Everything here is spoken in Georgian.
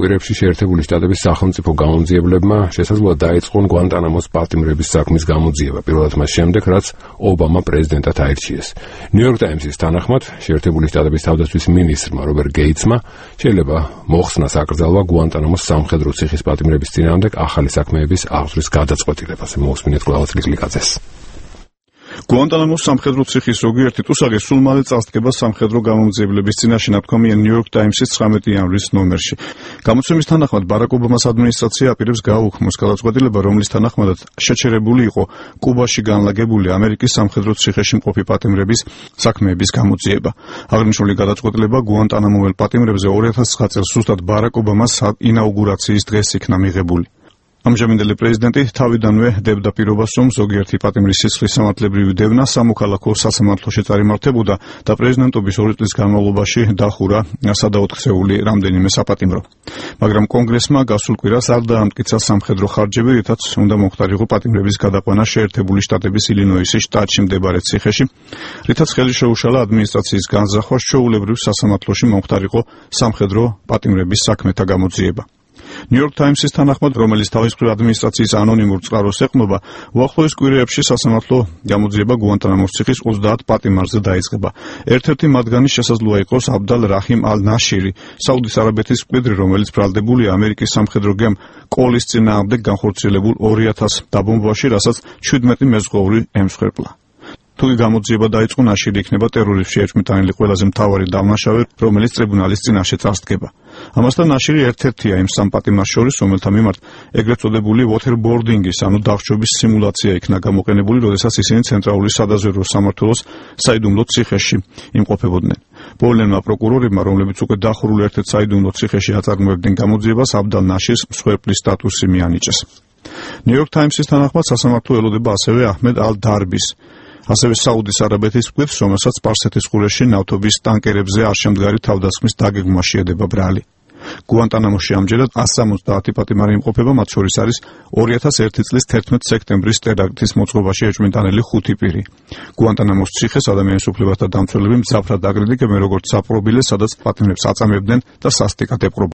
კვირებში შეერთებული შტატების სახელმწიფო გამომძიებლებმა შესაძლოა დაეწყონ გვანტანამოს პატიმრების საქმის გამოძიება, პირველად მას შემდეგ, რაც ობამა პრეზიდენტად აირჩიეს. New York Times-ის თანახმად, შეერთებული შტატების თავდაცვის მინისტრმა რობერტ გეიტსმა შეიძლება მოხსნას აკრძალვა გვანტანამოს სამხედრო ციხის პატიმრების წინააღმდეგ ახალი საქმეების აღძვრის გადაწყვეტილებას. მოусმინეთ ყველას ლიკლიკაძეს. გვანტანამოს სამხედრო ციხის ზოგიერთი ტუსაღი სულ მალე წარსდგება სამხედრო გამომძიებლების წინაშე, ნათქვამია New York Times-ის 19 იანვრის ნომერში. გამოცემის თანახმად ბარაკ ობამას ადმინისტრაცია აპირებს გააუქმოს გადაწყვეტილება, რომლის თანახმადაც შეჩერებული იყო კუბაში განლაგებული ამერიკის სამხედრო ციხეში მყოფი პატიმრების საქმეების გამოძიება. აღნიშნული გადაწყვეტილება გვანტანამოელ პატიმრებზე 2009 წელს ზუსტად ბარაკ ობამას ინაუგურაციის დღეს იქნა მიღებული. ამჟამინდელი პრეზიდენტი თავიდანვე დებდა პირობას, რომ ზოგიერთი პატიმრის სისხლის სამართლებრივი დევნა სამოქალაქო სასამართლოში წარიმართებოდა და პრეზიდენტობის 2 წლის განმავლობაში დახურა სადაოთხსეული რამდენიმე საპატიმრო. მაგრამ კონგრესმა გასულ კვირას არ დაამტკიცა სამხედრო ხარჯები, რითაც უნდა მომხდარიყო პატიმრების გადაყვანა შეერთებული შტატების ილინოისის შტატში მდებარე ციხეში, რითაც ხელი შეუშალა ადმინისტრაციის განზრახვას ჩვეულებრივ სასამართლოში მომხდარიყო სამხედრო პატიმრების საქმეთა გამოძიება. New York Times-ის თანახმად, რომელიც თავის მხრივ ადმინისტრაციის ანონიმურ წყაროს ეყრდნობა, უახლოეს კვირეებში სასამართლო გამოძიება გვანტანამოს ციხის 30 პატიმარზე დაიწყება. ერთ-ერთი მათგანი შესაძლოა იყოს აბდალ რაჰიმ ალ-ნაშირი, საუდის არაბეთის მკვიდრი, რომელიც ბრალდებულია ამერიკის სამხედრო გემ კოლის წინააღმდეგ განხორციელებულ 2000 დაბომბვაში, რასაც 17 მეზღვაური ემსხვერპლა. თუ გამოძიება დაიწყო, ნაშირი იქნება ტერორიზმში ეჭვმიტანილი ყველაზე მთავარი დამნაშავე, რომელიც ტრიბუნალის წინაშე წარსდგება. ამასთან ნაშირი ერთ-ერთია იმ სამ პატიმარს შორის, რომელთა მიმართ ეგრეთ წოდებული waterboarding-ის, ანუ დახშობის სიმულაცია იქნა გამოყენებული, როდესაც ისინი ცენტრალური სადაზვერვო სამმართველოს საიდუმლო ციხეში იმყოფებოდნენ. პოლონელმა პროკურორებმა, რომლებიც უკვე დახურულ ერთ-ერთ საიდუმლო ციხეში აწარმოებდნენ გამოძიებას, აბდალ ნაშირს მსხვერპლის სტატუსი მიანიჭეს. New York Times-ის თანახმად, სასამართლო ელოდება ასევე აჰმედ ალ-დარბის, ასევე საუდის არაბეთის მკვიდრს, რომელსაც სპარსეთის ყურეში ნავთობის ტანკერებზე არშემდგარი თავდასხმის დაგეგმვა შეედება ბრალი. გვანტანამოში ამჯერად 170 პატიმარი იმყოფება, მათ შორის არის 2001 წლის 11 სექტემბრის ტერაქტის მოწყობაში ეჭვმიტანილი 5 პირი. გვანტანამოს ციხეს ადამიანის უფლებათა დამცველები მძაფრად აკრიტიკებენ, როგორც საპყრობილეს, სადაც პატიმრებს აწამებდნენ და სასტიკად ეპყრობოდნენ.